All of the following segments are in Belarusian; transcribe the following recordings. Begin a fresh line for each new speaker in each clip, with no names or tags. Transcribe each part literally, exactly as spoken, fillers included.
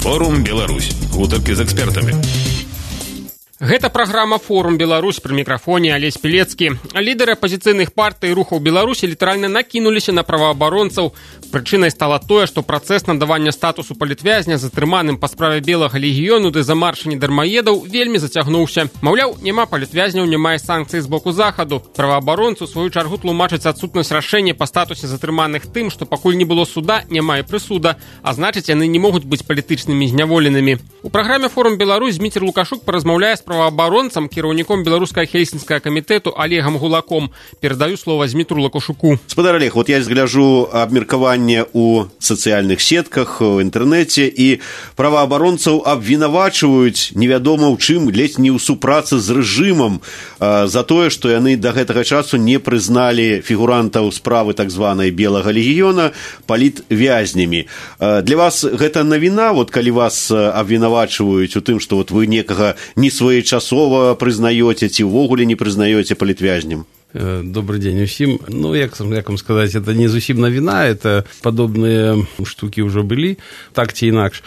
Форум Беларусь. Гутаркі з экспертамі.
Гэта праграма «Форум Беларусь», пры мікрафоне Алесь Пілецкі. Лідары апазіцыйных партый і рухаў Беларусі літаральна накінуліся на праваабаронцаў. Прычынай стала тое, што працэс надавання статусу палітвязня затрыманым па справе Белага легіёну ды замаршання дармаедаў вельмі зацягнуўся. Маўляў, няма палітвязняў, няма і санкцый з боку захаду. Праваабаронцы, у сваю чаргу, тлумачаць адсутнасць рашэння па статусе затрыманых тым, што пакуль не было суда, няма і прысуда, а значыць, яны не могуць быць палітычнымі зняволенымі. У праграме «Форум Беларусь» Дмітрий Лукашук паразмаўляе з праваабаронцам, кіраўніком беларускага хельсінскага камітэту Олегам Гулаком. Перадаю слово Дмитру Лукашуку.
Спадар Олег, вот я згляжу абмеркаванне у сацыяльных сетках, у інтэрнэце, і праваабаронцаў абвінавачваюць невядома ў чым, ледзь не ў супрацы з рэжымам э, за тое, што яны да гэтага часу не прызналі фігурантаў справы так званай Белага легіёна палітвязнямі. Э, для вас гэта навіна, вот калі вас абвінавачваюць у тым, што вот вы некага не своечасова прызнаёце ці ўвогуле не прызнаёце палітвязням?
Добрый день усім. Ну, як, як вам сказаць, это не зусім навіна, это падобныя штукі ўжо былі, так ці інакш.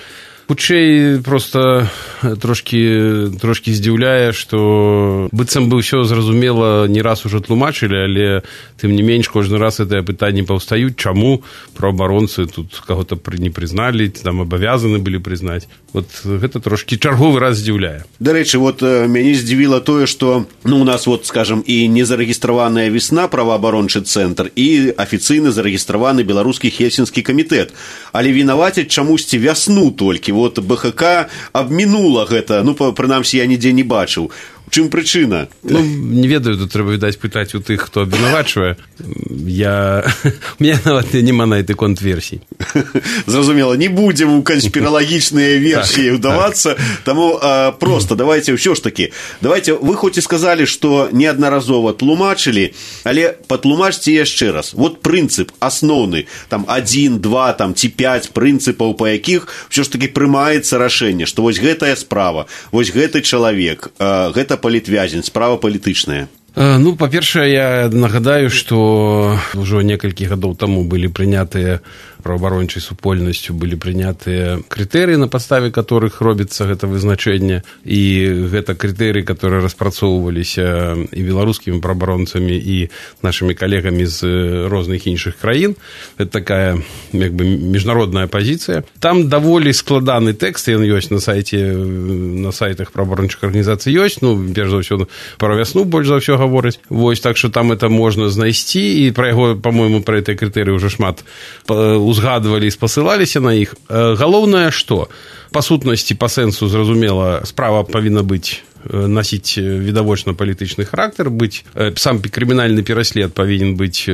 Хутчэй проста трошкі, трошкі здзіўляе, што быццам бы ўсё зразумела не раз ужо тлумачылі, але тым не менш кожны раз гэтыя пытанні паўстаюць, чаму праваабаронцы тут каго-то не прызналі, там абавязаны былі прызнаць. Вот гэта трошкі чарговы раз здзіўляе.
Дарэчы, вот мяне здзівіла тое, што ну, у нас, вот, скажем, і незарэгістраваная весна праваабарончы цэнтр, і афіцыйна зарэгістраваны беларускі хельсінскі камітэт. Але вінавацяць чамусьці вясну толькі. Вот БХК абмінула гэта, ну, прынамсі, я нідзе не бачыў. У чым прычына?
Ну, не ведаю, тут трэба, відаць, пытаць у тых, хто абвінавачвае. Я... У мяне нават няма на гэты конт версій.
Зразумела, не будзем у канспіралагічныя версіі ўдавацца, таму а, проста давайте ўсё ж такі. Давайте, вы хоць і сказалі, што неаднаразова тлумачылі, але патлумачце яшчэ раз. Вот прынцып асноўны, там адзін, два, там ці пяць прынцыпаў, па якіх ўсё ж такі прымаецца рашэнне, што вось гэтая справа, вось гэты чалавек, а, гэта палітвязень, справа палітычная.
Ну, па-першае, я нагадаю, што ўжо некалькі гадоў таму былі прынятыя праваабарончай супольнасцю, былі прынятыя крытэрыі, на падставе которых робіцца гэта вызначэнне, і гэта крытэрыі, которые распрацоўваліся і беларускімі праваабаронцамі, і нашымі калегамі з розных іншых краін. Это такая, як бы, міжнародная пазіцыя. Там даволі складаны тэкст, ён ёсць на сайце, на сайтах праваабарончых арганізацый ёсць, ну, перш за ўсё, пра вясну больш за ўсё гаворыць. Вось, так што там это можна знайсці, і пра яго, па-мойму, пра гэтыя крытэрыі ўжо шмат узгадвалі і спасылаліся на іх. Галоўнае, што па сутнасці, па сэнсу, зразумела, справа павінна быць насіць відавочна палітычны характар, быць, сам крымінальны пераслед павінен быць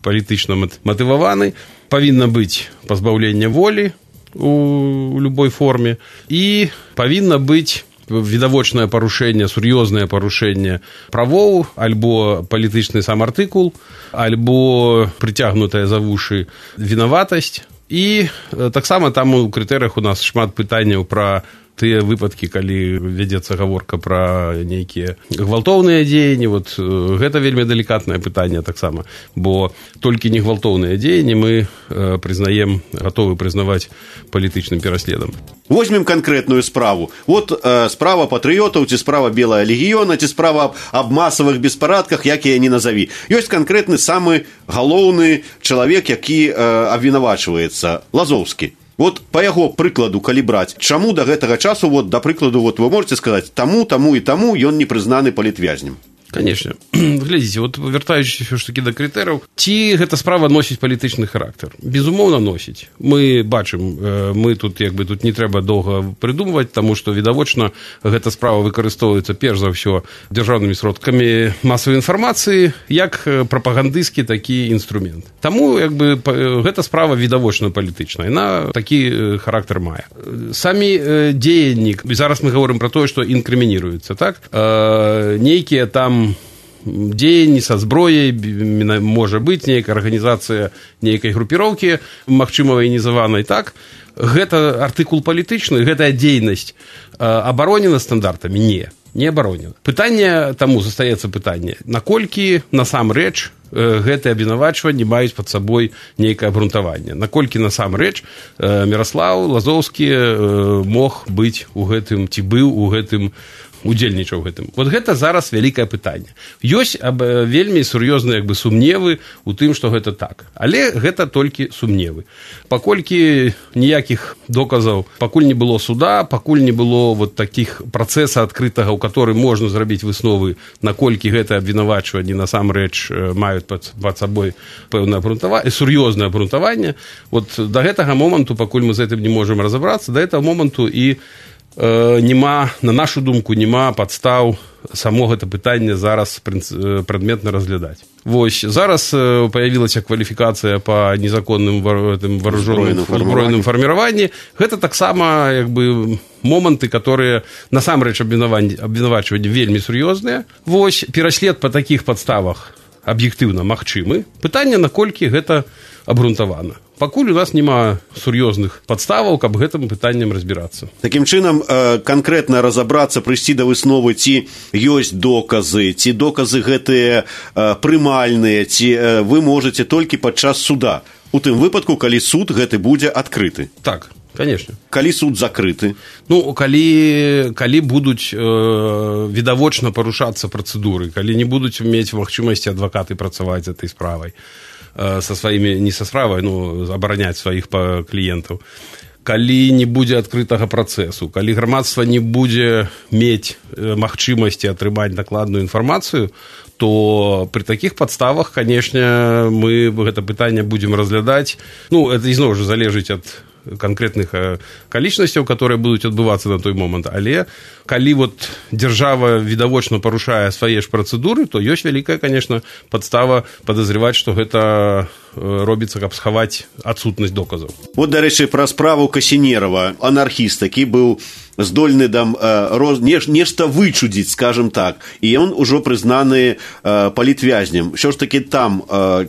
палітычна матываваны, павінна быць пазбаўленне волі у любой форме, і павінна быць відавочнае парушэнне, сур'ёзнае парушэнне правоў, альбо палітычны сам артыкул, альбо прыцягнутая за вушы вінаватасць. І таксама там у крытэрыях у нас шмат пытанняў пра тыя выпадкі, калі вядзецца гаворка пра нейкія гвалтоўныя дзеянні. Вот гэта вельмі далікатнае пытанне таксама, бо толькі не гвалтоўныя дзеянні мы прызнаем, гатовы прызнаваць палітычным пераследам.
Возьмем канкрэтную справу. Вот э, справа патрыётаў, ці справа Белага легіёна, ці справа аб, аб масавых беспарадках, як я не назаві. Ёсць канкрэтны самы галоўны чалавек, які э, абвінавачваецца, Лазоўскі. Вот по яго прыкладу, калі браць, чаму да гэтага часу, вот, да прыкладу, вот, вы можете сказаць, таму, таму і таму ён не прызнаны палітвязнем?
Конечно. Глядзіце, вот вяртаючыся ўсё ж такі да крытэрыяў, ці гэта справа носіць палітычны характар? Безумоўна, носіць. Мы бачым, мы тут, як бы, тут не трэба доўга прыдумваць, таму што відавочна гэта справа выкарыстоўваецца перш за ўсё дзяржаўнымі сродкамі масавай інфармацыі як прапагандысцкі такі інструмент. Таму, як бы, гэта справа відавочна палітычная, яна такі характар мае. Самі дзеянні, зараз мы гаворым пра тое, што інкрымініруецца, так? Нейкія там дзеянні са зброяй, можа быць нейкая арганізацыя нейкай групіроўкі, магчыма, ваенізаванай, так? Гэта артыкул палітычны, гэтая дзейнасць абаронена стандартамі? Не. не абароніла. Пытанне таму застаецца пытанне, наколькі насамрэч гэтыя абвінавачванні маюць пад сабой нейкае абгрунтаванне, наколькі насамрэч Міраслаў Лазоўскі мог быць у гэтым, ці быў у гэтым, удзельнічаў гэтым. Вот гэта зараз вялікае пытанне. Ёсць аб, вельмі сур'ёзныя як бы сумневы у тым, што гэта так. Але гэта толькі сумневы. Паколькі ніякіх доказаў, пакуль не было суда, пакуль не было вот такіх працэса адкрытага, у которым можна зрабіць высновы, наколькі гэта абвінавачванні насамрэч маюць пад, пад сабой пэўнае абгрунтаванне, сур'ёзнае абгрунтаванне. Вот да гэтага моманту, пакуль мы з гэтым не можам разабрацца, да гэтага моманту і нема, на нашу думку, нема падстаў само гэта пытанне зараз прадметна разглядаць. Вось, зараз появілася кваліфікацыя па незаконным вооружённым узброеным фарміраванні. Гэта таксама як бы моманты, которые насамрэч абвінавачванні вельмі сур'ёзныя. Вось, пераслед па такіх падставах аб'ектыўна магчымы. Пытанне, наколькі гэта абгрунтавана. Пакуль у нас няма сур'ёзных падставаў, каб гэтым пытаннем разбірацца.
Такім чынам, канкрэтна разабрацца, прыйсці да высновы, ці ёсць доказы, ці доказы гэтыя прымальныя, ці вы можаце толькі падчас суда. У тым выпадку, калі суд гэты будзе адкрыты.
Так, конечно.
Калі суд закрыты?
Ну, калі, калі будуць э, відавочна парушацца працэдуры, калі не будуць мець магчымасці адвакаты працаваць з этой справай, со сваімі, не са справай, ну, абараняць сваіх кліентаў. Калі не будзе адкрытага працэсу, калі грамадства не будзе мець магчымасці атрымаць дакладную інфармацыю, то при такіх падставах, канешне, мы гэта пытанне будзем разглядаць. Ну, это ізноў жа залежыць ад конкретных количностей, которые будут отбываться на той момент. Але калі вот держава відавочна парушае свае ж працэдуры, то ёсць вялікая, конечно, падстава подозревать, что гэта робіцца, каб схаваць адсутнасць доказаў.
Вот, дарэчы, пра справу Касінерава, анархіст, такі быў здольны там роз... нешта вычудзіць, скажем так, і ён ужо прызнаны палітвязнем. Що ж таки там,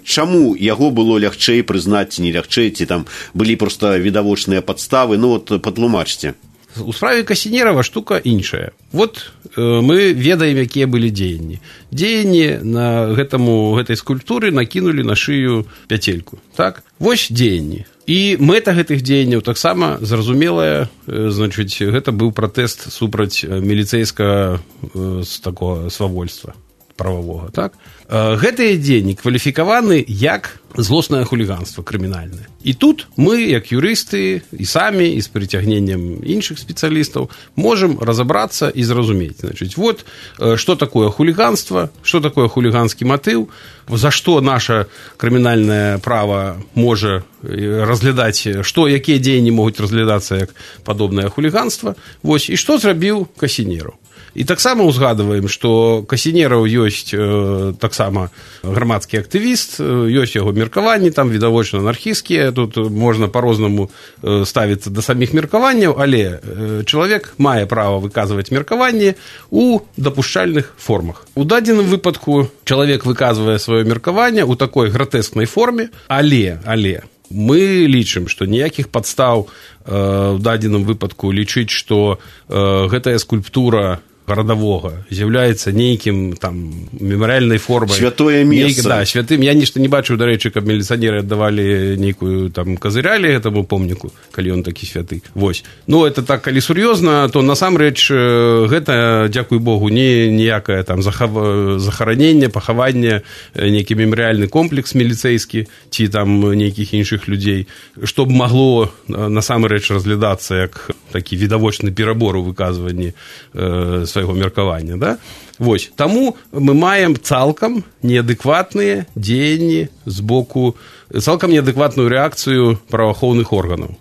чаму яго было лягчэй прызнаць, ці не лягчэй, ці там былі проста відавочныя падставы? Ну вот патлумачце.
У справе Касінерава штука іншая. Вот э, мы ведаем, якія былі дзеянні. Дзеянні на гэтаму, гэтай скульптуры накінулі на шыю пяцельку. Так? Вось дзеянні. І мэта гэтых дзеянняў таксама зразумелая, э, значыць, гэта быў пратэст супраць міліцэйскага э, такого свавольства прававога. Так? Э, гэтыя дзеянні кваліфікаваны як злоснае хуліганство крымінальнае. І тут мы, як юрысты, і самі, і з прыцягненнем іншых спецыялістаў, можам разабрацца і зразумець. Значыць, вот, што такое хуліганство, што такое хуліганскі матыў, за што наша крымінальнае права можа разглядаць, што, якія дзеянні могуць разглядацца як падобнае хуліганство, вось, і што зрабіў Касінераў. І таксама узгадываем, што Касінераў ёсць э, таксама грамадскі актывіст, ёсць яго меркаванні, там відавочна анархісцкія, тут можна па-рознаму э, ставіцца да саміх меркаванняў, але э, чалавек мае права выказваць меркаванне ў дапушчальных формах. У дадзеным выпадку чалавек выказвае сваё меркаванне ў такой гратэскнай форме, але, але, мы лічым, што ніякіх падстаў э, у дадзеным выпадку лічыць, што э, гэтая скульптура гарадавога з'яўляецца нейкім там мемарыяльнай формай.
Святое месца.
Нейк, да, святым. Я нешта не бачыў, дарэчы, каб міліцыянеры аддавалі нейкую там казырялі гэтаму помніку, калі ён такі святы. Вось. Ну, это так, калі сур'ёзна, то насамрэч гэта, дзякуй Богу, не ніякае там захав... захараненне, пахаванне, нейкі мемарыяльны комплекс міліцэйскі ці там нейкіх іншых людзей, што б магло насамрэч разглядацца як такі відавочны перабор у выказванні э, свайго меркавання, да? Вось, таму мы маем цалкам неадэкватныя дзеянні з боку, цалкам неадэкватную рэакцыю праваахоўных органаў.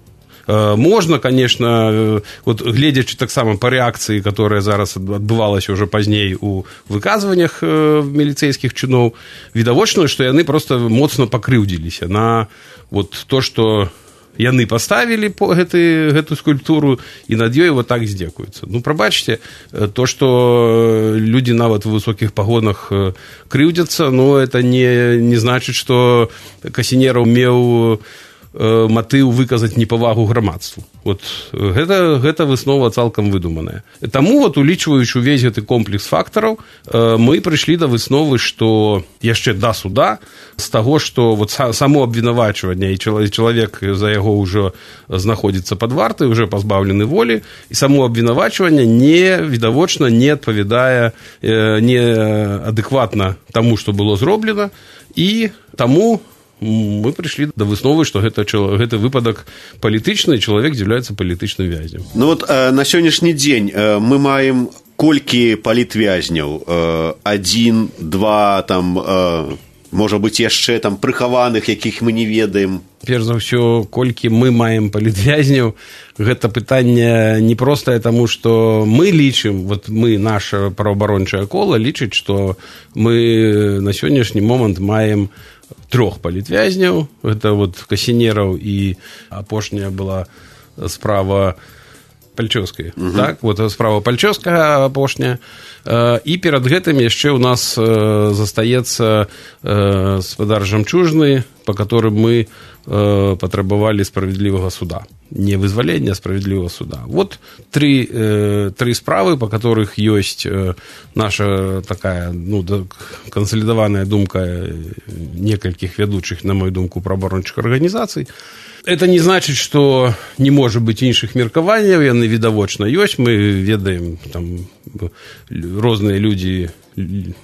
Э, можна, конечно, вот гледзячы таксама па рэакцыі, которая зараз адбывалася ўжо пазней у выказваннях э, міліцэйскіх чыноў, відавочна, што яны проста моцна пакрыўдзіліся на вот то, што яны паставілі гэты, гэту скульптуру і над ёй вот так здзекуюцца. Ну, прабачце, то, што людзі нават у высокіх пагонах крыўдзяцца, ну, это не, не значыць, што Касінераў меў матыў выказаць непавагу грамадству. Вот гэта, гэта выснова цалкам выдуманая. Таму, вот, улічваючы увесь гэты комплекс фактараў, мы прыйшлі да высновы, што яшчэ да суда, з таго, што вот само абвінавачванне, і чалавек за яго ўжо знаходзіцца пад вартай, уже пазбаўлены волі, і само абвінавачванне не, відавочна, не адпавядае, не адэкватна таму, што было зроблена, і таму мы прыйшлі да высновы, што гэта, гэты выпадак палітычны, і чалавек з'яўляецца палітычным вязнем.
Ну вот на сённяшні дзень мы маем колькі палітвязняў? Адзін, два, там, можа быць, яшчэ там прыхаваных, якіх мы не ведаем.
Перш за ўсё, колькі мы маем палітвязняў, гэта пытанне непростае, таму што мы лічым, вот мы, наша праваабарончае кола, лічыць, што мы на сённяшні момант маем трох палітвязняў. Гэта вот Касінераў, і апошняя была справа Пальчоўскай. Uh-huh. Так, вот справа Пальчоўская апошняя. І перад гэтым яшчэ ў нас застаецца гаспадар Жамчужны, па которым мы патрабавалі справядлівага суда. Не вызвалення, а справядлівага суда. Вот три, три справы, по которых ёсць наша такая, ну, кансалідаваная думка некалькіх вядучых, на мою думку, праваабарончых арганізацый. Это не значит, что не может быть іншых меркаванняў, яны відавочна ёсць. Мы ведаем, там розныя людзі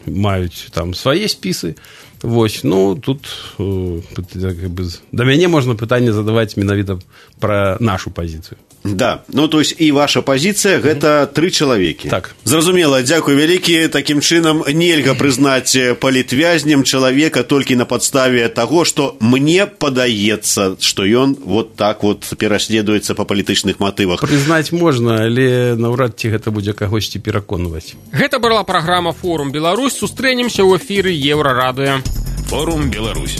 маюць там свае спісы. Вось, ну, тут как бы, да мяне можна пытанне задаваць менавіта пра нашу пазіцыю.
Да, ну, то есть і ваша пазіцыя гэта тры чалавекі.
Так.
Зразумела, дзякуй вялікі. Такім чынам нельга прызнаць палітвязнем чалавека толькі на падставе таго, што мне падаецца, што ён вот так вот пераследуецца па палітычных матывах.
Прызнаць можна, але наўрад ці гэта будзе кагосьці пераконваць.
Гэта была праграма «Форум Беларусь». Сустрэнемся ў эфіры Еўрарадыё.
Форум Беларусь.